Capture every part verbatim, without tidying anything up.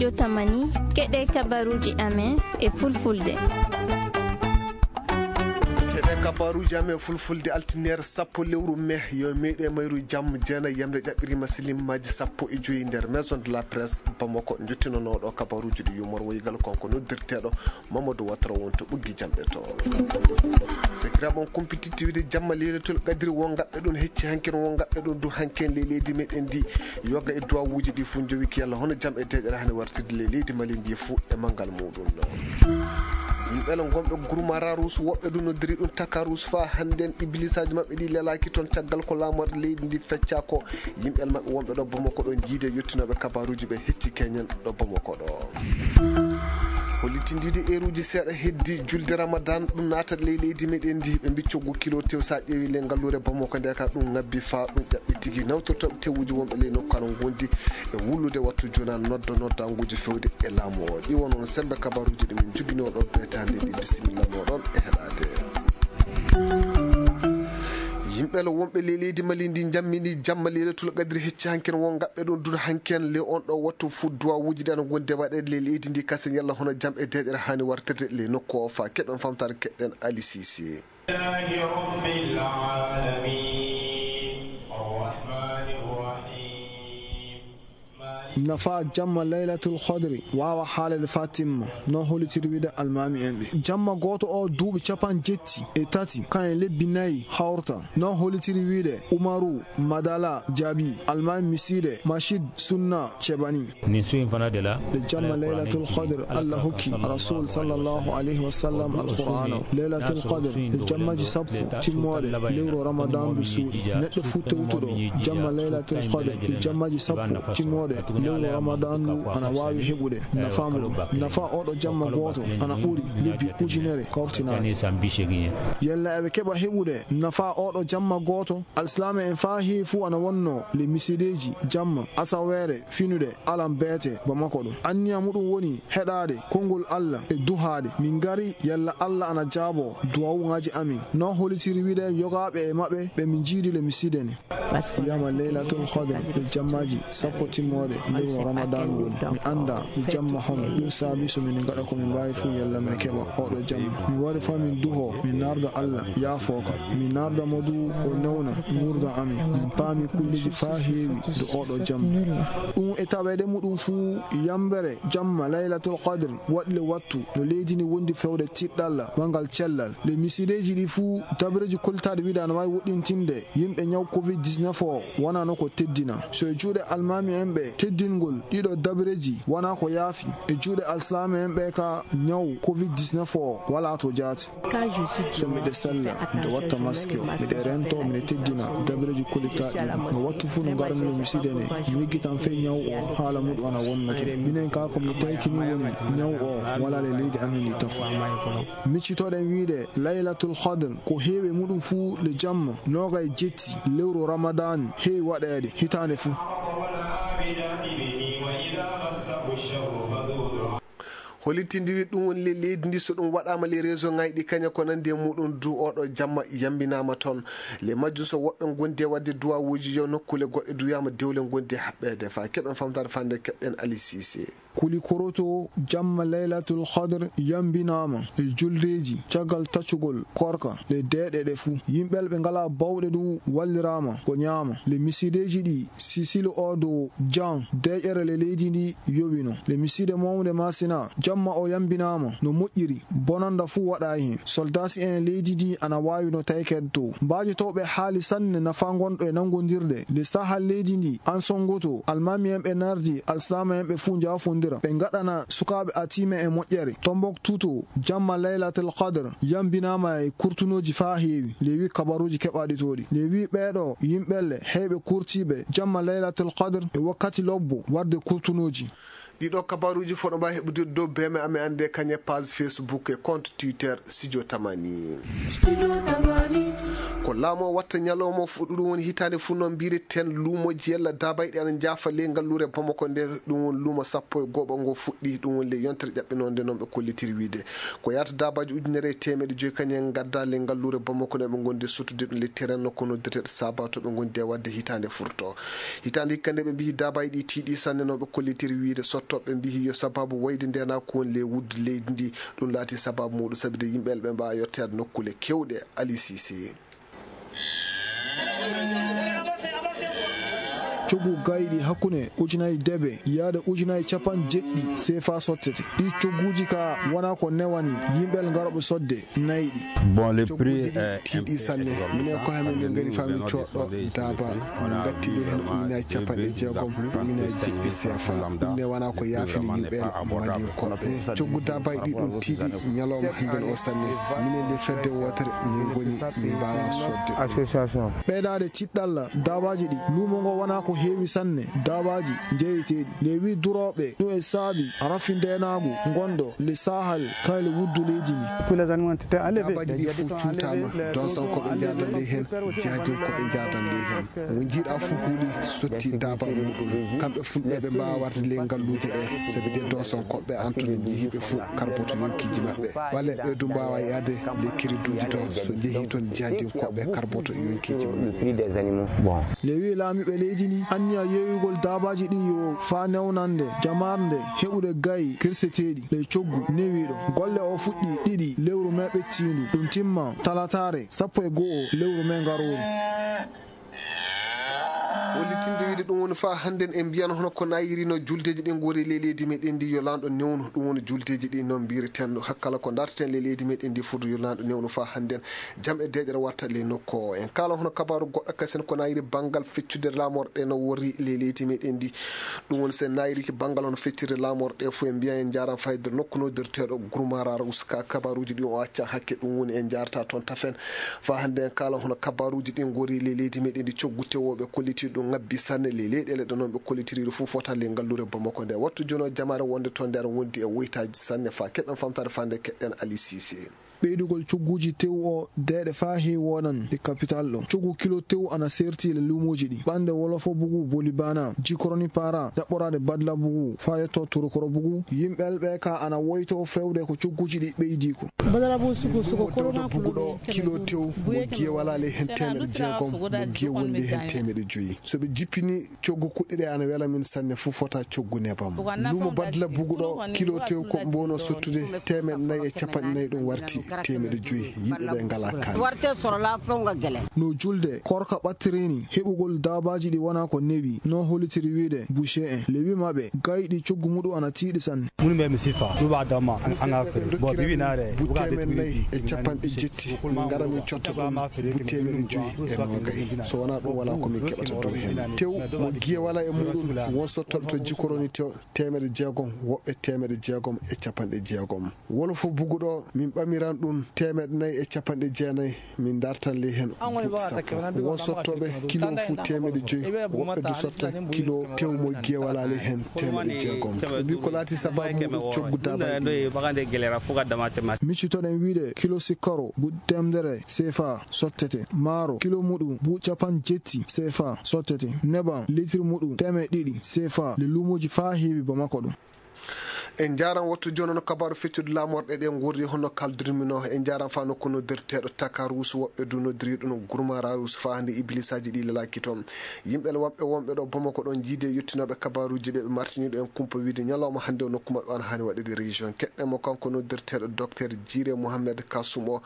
Yo tamani, keɗe kabaruuji amen e fulfulde. Keɗe kabaruuji amen e fulfulde, altine sappo lewru me, yo meeɗe mayru jam, jeenayi yamre ƴaɓɓiriima silimmaaji sappo e joyi nder Maison de la Presse Bamako, njottinonooɗo kabaruuji ɗi yumor woygal kanko noddirteeɗo Mamadou Ouattara wonto ɓoggi jamɗe to. Sakiraaɓe on kumpititti wiide jamma Leylatul Qadri won gaɓɓe ɗum hecci hankin, won gaɓɓe ɗum du hankin le leydi meɗen ndi yoga e duwawuuji ɗi fof njowi ki yalla hono jam e deeƴere hani wartirde le leydi Mali ndi fof e manngal muɗum. Yimɓe le gonɓe Gurmara Ruus, woɓɓe du noddiri ɗum Taka Ruus fa hannden iblisaaji maɓɓe ɗi lelaaki toon caggal ko laamorde leydi ndi fecca ko. Yimɓe maɓɓe wonɓe ɗo Bamako ɗo jiide yottinooɓe kabaruuji ɓe hecci keñen ɗo Bamako ɗo. Hollitindiiɗo eeruuji seeɗa heddi julde Ramadan ɗum naata ley leydi meɗen ndi ɓe mbiccoggu kilo tew sa ƴeewi ley ngalluure Bamako nde ka ɗum ngabbi fa ɗum ƴaɓɓi tigi nawtortooɓe tewuji wonɓe ley nokku ana ngondi e wullude wattu jona nodda noddanguji fewde e laamu o. Ɗi won on sembe kabaruuji ɗi min joginoo ɗo beetande ndi. Bisimilla moɗon e heɗaade. Yimɓe le wonɓe ley leydi Mali ndi jammini jamma Leylatul Qadri hecci hankin won gaɓɓe ɗon duɗa hankin le on ɗo wattu fu duwawuuji ɗi ana gondi waɗeede ley leydi ndi kasen yalla hono jam e deeƴere hani wartirde ley nokku o fa keɓen famtare keɗen Ali Sise. لله رب العالمين. الرحمن الرحيم. Nafa jamma Laylatul Qadri waawa haalede faa timma, no hollitiri wiide almaami en ɓe. Jamma gooto o duuɓi capan jetti e tati, kayen lebbi nayi hawrta, no hollitiri wiide Umaru Madala Jaabi, almaami misiide Mashid Sunna Cebani. Nin su in fana de la, Nde jamma Laylatul Qadr, Allah hokki Rasul sallallahu alayhi wa sallam Alqur'aana o. Laylatul Qadr e jammaji sappo timmooɗe lewru Ramadan ndu suuɗi. Neɗɗo fuu tewtuɗo jamma Laylatul Qadr e jammaji sappo timmooɗe lewru Ramadan ndu ana waawi heɓude nafa muɗum. Nafa oɗo jamma gooto ana ɓuri lebbi ujunere kawtinaaɗe. Yalla eɓe keɓa heɓude nafa oɗo jamma gooto? Alsilaame en faa heewi fuu ana wonno le misideeji jamma asaweere finude alam beete Bamako ɗum. Anniya muɗum woni heɗaade konngol Allah e duhaade. Min ngari yalla Allah ana jaabo duwawuŋaaji amin. No hollitiri wiide yogaaɓe e maɓɓe ɓe min njiidi le miside ne. Wiyama Laylatul Qadr e jammaaji sappo timmooɗe lewru Ramadan woni. Mi annda ko jamma homo. Ɗum saabi so min ngaɗa ko min mbaawi fuu yalla min keɓa oɗo jamma. Mi wari faa min duho, min naarda Allah yaafooka. Min naarda mo du o newna nguurndam amin. Min paami kulleeji faa heewi do oɗo jamma. Ɗum e taweede muɗum fuu yambere jamma Laylatul Qadr waɗi le wattu no leydi ndi wondi fewde tiɗɗalla wanngal cellal. Le misideeji ɗi fuu dabareeji kollitaaɗi wiide ana waawi woɗɗintinde yimɓe ñaw covid dix-neuf o wonano ko teddina. So e juuɗe almaami en ɓe teddingol ɗiɗo dabareeji wona ko yaafi. E juuɗe alsilaame en ɓe ka ñaw covid dix-neuf o wala to jaati. So miɗe sella, miɗe watta maske o, miɗe rento, miɗe teddina dabareeji kollitaaɗi ɗi. No wattu fuu no ngarmi le miside ne, mi yeggitan fey ñaw o haala muɗum ana wonno toon. Minen ka ko mi taykini woni ñaw o wala le leydi amin ndi tafu. Miccitoɗen wiide Laylatul Qadr ko heewi muɗum fuu le jamma noogay jetti lewru Ramadan heewi waɗeede hitaande fuu. Holitindi wi ɗum woni le leydi ndi so ɗum waɗaama le réseau ŋaaji ɗi kaña ko nandi e muɗum du oɗo jamma yambinaama toon. Le majjum so woɓɓe ngondi e waɗde duwawuuji yo nokkule goɗɗe du wiyaama dewle ngondi e haɓɓeede fa keɓen famtaade fande keɓɗen Ali Sise. Kuli koroto jamma Laylatul Qadr yambinaama e juldeeji caggal taccugol korka le deeɗe ɗe fuu. Yimɓe ɓe ngalaa bawɗe du walliraama ko ñaama. Le misideeji ɗi sisili o dow jan deeƴere le leydi ndi yowino. Le miside mawnde masina jamma o yambinaama no moƴƴiri. Bonanda fuu waɗaay heen. Soldaasi en leydi ndi ana waawi no taykeede to. Mbaajotooɓe haali sanne nafa ngonɗo e nanngondirde. Nde saha leydi ndi an sonngoto, almaami en ɓe nardi, alsilaama en ɓe fuu njaafondira. Ɓe ngaɗana sukaaɓe atiime e moƴƴere. Tombouctou to, jamma Laylatul Qadr yambinaama e kurtunooji faa heewi. Nde wi kabaruuji keɓaaɗi to ɗi. Nde wi ɓeeɗo yimɓelle heyɓe kurtiiɓe jamma Laylatul Qadr e wakkati lobbo warde kurtunooji. Ɗiɗo kabaruuji fof no mbaawi heɓude dow B M A mi annde kañe page Facebook e compte Twitter Studio Tamani. Ko Laamu o watta ñalawma o fuɗɗu, ɗum woni hitaande fuu noon mbiyeten luumooji yalla daabayɗi ana njaafa ley ngalluure Bamako nde, ɗum woni luumo sappo e go'oɓo ngo fuɗɗi, ɗum woni ley yontere ƴaɓɓinoonde noon ɓe kollitiri wiyde. Ko yahata daabaaji ujunere e teemeɗɗe joyi kañum en ngaddaa ley ngalluure Bamako nde ɓe ngondi sottude ɗum ley terrain nokku noddirteeɗo Saba to ɓe ngondi e waɗde hitaande furto. Hitaande hikka nde ɓe mbiyi daabaaji ɗi tiiɗi sanne noon ɓe kollitiri wiyde sottooɓe mbiyi yo sababu wayde ndeenaagu woni ley wuddu leydi ndi, ɗum laati sababu muuɗum sabi de yimɓe ɓe mbaawa yotteede nokkuule keewɗe. Ali Sise. Coggu gayɗi hakkunde ujunaaji debe yaade ujunaaji capanɗe jeɗɗi sefa sottete. Ɗi cogguuji ka wona ko newani yimɓe ngarooɓe sodde nayɗi. Bon, le prix est tiiɗi sanne. Minen ko hamin min ngari fa min coɗɗo daaba, min ngatti ley heen ujunaaji capanɗe jeegom ujunaaji jeɗɗi sefa. Ɗum ne wona ko yaafini yimɓe malinkooɓe. Coggu daabaaji ɗi ɗum tiiɗi ñalawma hannden o sanne. Minen le fedde wootere min ngoni min mbaawa sodde. Association. Ɓeydaade ciɗɗalla daabaaji ɗi luumo ngo wona ko heewi sanne. Daabaaji njeeyeteeɗi le wi durooɓe ɗum e saabi rafi ndeenaagu ngonɗo le sahal kala le wuddu leydi ndi. Daabaaji ɗi fof cuutaama, donsonkooɓe njaadan ley heen, jaadinkooɓe njaadan ley heen. Mo njiiɗaa fof huuli sotti daaba muuɗum. Kamɓe fulɓe ɓe mbaawa warde ley ngalluuje ɗe, sabi de donsonkooɓe antone njehiiɓe fof karboto yonkiiji maɓɓe. Walla ɓe du mbaawa yahde ley kiriduuji to, so njehii toon jaadinkooɓe karboto yonkiiji mum. Le wi laamiiɓe leydi ndi anniya yeeyugol daabaaji ɗi yo faa newnande jamaarde heɓude gayi kirseteeɗi ley coggu newiiɗo. Golle o fuɗɗi ɗiɗi lewru mee ɓettiindu, ɗum timma talataare sappo e go'o lewru mee ngarooru. Hollitinde wiyde ɗum woni faa hannden en mbiyano hono ko nayiri no juldeeji ɗi ngori ley leydi meɗen ndi yo laanɗo newnu, ɗum woni juldeeji ɗi no mbiyirten hakkala ko darteten ley leydi meɗen ndi fof yo laanɗo newnu faa hannden jam e deeƴere watta ley nokku o. En kaala hono kabaaru goɗɗo kasen ko nayiri banngal feccude laamorɗe no worri ley leydi meɗen ndi. Ɗum woni so en nayiriki banngal hono feccirde laamorɗe fof en mbiyan en njaaraan fayde nokku noddirteeɗo Gurmara Ruska. Kabaaruuji ɗi o accan hakke ɗum woni en njaarata toon tafen. Faa hannde en kaala hono kabaaruuji ɗi ngori ley leydi meɗen ndi coggu tewooɓe kolliti ɗum ngabbi sanne ley leyɗeele ɗe noon ɓe kollitiri ɗo fof fota ley ngalluure Bamako nde. Wattu jono jamaare wonde toon nde aɗa wondi e woytaaji sanne faa keɗen famtaade faa nde keɗen Ali Sise. Ɓeydugol cogguuji tew o deeɗe faa heewi wonan e kapital ɗo. Coggu kilo tew ana seerti le luumooji ɗi. Ɓannde wolofo bugu boli bana, jikoroni para, jaɓɓoraade badla bugu, faa yetto turukoro bugu. Yimɓe ɓe ka ana woyto fewde ko cogguuji ɗi ɓeydi ko. Luumo doodo bugu ɗo kilo tew mo giye walaa ley heen teemeɗe jeegom, mo giye wondi heen teemeɗe joyi. So ɓe jippini coggu kuɗɗi ɗe ana wela min sanne fof fota coggu nebam. Luumo badla bugu ɗo kilo tew ko mbono sottude teemeɗe nayi e capanɗe nayi ɗum warti teemeɗe joyi yimɓe ɓe ngalaa kaalis. No julde korka ɓattirini heɓugol daabaaji ɗi wona ko newi no hollitiri wiyde boucher en le wi maɓɓe gayɗi coggu muɗum ana tiiɗi sanne. Munu mbe mi sifa ɗuɓa damma an affaire bon ɓe winare bu teemeɗe nayi e capanɗe jetti min ngara min cotta ɗum bu teemeɗe joyi e nogay. So wonaa ɗum walaa ko min keɓata dow heen. Tew mo giye walaa e muɗum won sottooɓe to jikoroni tew teemeɗe jeegom, woɓɓe teemeɗe jeegom e capanɗe jeegom. Wolofo bugu ɗo min ɓamiran ɗum teemeɗe nayi e capanɗe jeenayi, min dartan ley heen buuɗi sappo. Won sottooɓe kilo fuu teemeɗe joyi, woɓɓe du sotta kilo tew mo giye walaa ley heen teemeɗe jeegom. Ɓe mbii ko laati sabaabu muɗum coggu daabaaji ɗi. Miccitoɗen wiyde kilo sikkaro buuɗi teemedere sefa sottete, maaro kilo muɗum buuɗi capanɗe jetti sefa sottete, nebam liitiri muɗum teemeɗe ɗiɗi sefa le luumooji faa heewi Bamako ɗum. En njaaran wattu jooni no kabaaru feccude laamorɗe ɗe ngorri hono kaldurmi no. En njaaran faa nokku noddirteeɗo Takarus, woɓɓe du noddiri ɗum Gurmararus faa hannde iblisaaji ɗi lelaaki toon. Yimɓe woɓɓe wonɓe ɗo Bamako ɗon jiidi e yottinooɓe kabaaruuji ɓe ɓe martiniiɗo en kumpa wiyde ñalawma hannde o nokku maɓɓe on haani waɗeede région. Keɗɗen mo kanko noddirteeɗo Docteur Jire Mohamed Kasum o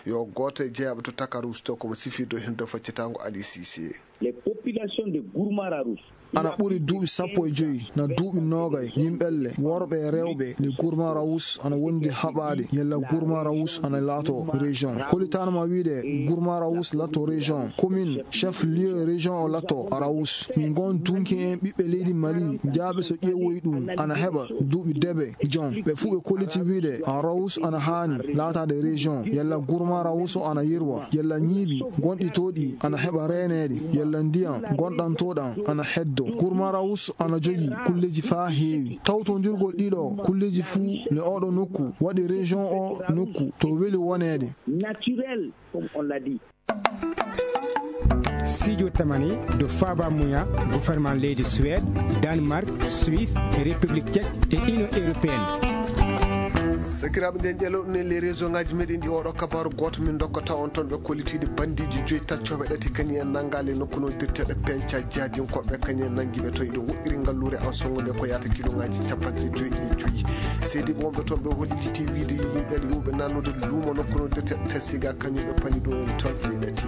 yo gooto e jeyaaɓe to Takarus to ko mo sifii dow heen dow faccitaango Ali Sise. Les populations de Gourmararous. Ana ɓuri duuɓi sappo e joyi na duuɓi noogay yimɓelle worɓe e rewɓe nde Gourma Raous ana wondi haɓaade yalla Gourma Raous ana laato région. Hollitaanoma wiyde Gourma Raous laatto région, commune, chef lieu région o laatto Raous. Min ngon dunki en ɓiɓɓe leydi Mali jaaɓe so ƴeewoyi ɗum ana heɓa duuɓi debe jon. Ɓe fuu ɓe kolliti wiyde Raous ana haani laataade région yalla Gourma Raous o ana yirwa yalla ñiibi gonɗi to ɗi ana heɓa reeneede yalla ndiyam gonɗantooɗam ana heddo. Kurmarawus ana jogii kulleeji faa heewi. Tawtondirgol ɗiɗo kulleeji fuu ne ooɗo nokku waɗi région o nokku to weli woneede. Naturel, comme on l'a dit. Sijo tamani do faba muya gouvernement leydi Suède, Danemark, Suisse, République tchèque et Union européenne. Sakiraaɓe, nden ƴelo ne les région ngaji meɗen ɗi oɗo kabaru goto min dokkata on toon ɓe kollitiiɗe bandiiji joyi taccoɓe ɗati kañi en nanngaali nokku nodirteɗe penca jaadinkoɓe kañi en nanngiɓe to eɗo woɗɗiri ngalluure en songude ko yata kiloŋaji capanɗe joyi e joyi. Seediiɓe wonɓe toon ɓe holliti wiide yo yimɓe ene yowɓe nannude luumo nokku nodirteɗe tasiga kañum ɓe pali ɗo en toon e ɗati.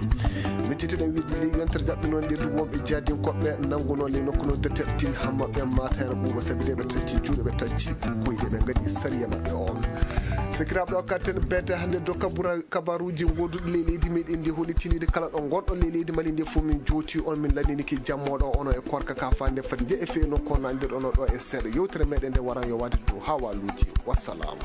Miccitiɗen wiide ley yontere jaɓɓinoon nde du wonɓe jaadinkoɓe nannguno ley nokku nodirteɗe tin hamma ɓe mata hena ɓuuɓa sabi de ɓe tacci juuɗe ɓe tacci koyɗe ɓe ngaɗi sariya maɓɓe on. Sakiraaɓe, o katten beete hannde do kabura kabaruuji ngoduɗi ley leydi meɗen ndi hollitinide kala ɗo gonɗo ley leydi mali ndi fof min jooti on min lanniniki jammoɗo ono e korka ka fande fat nde e feyno ko nandirɗono ɗo e seeɗa yewtere meɗen nde waran yo wade dow hawaluuji. Wassalaamu.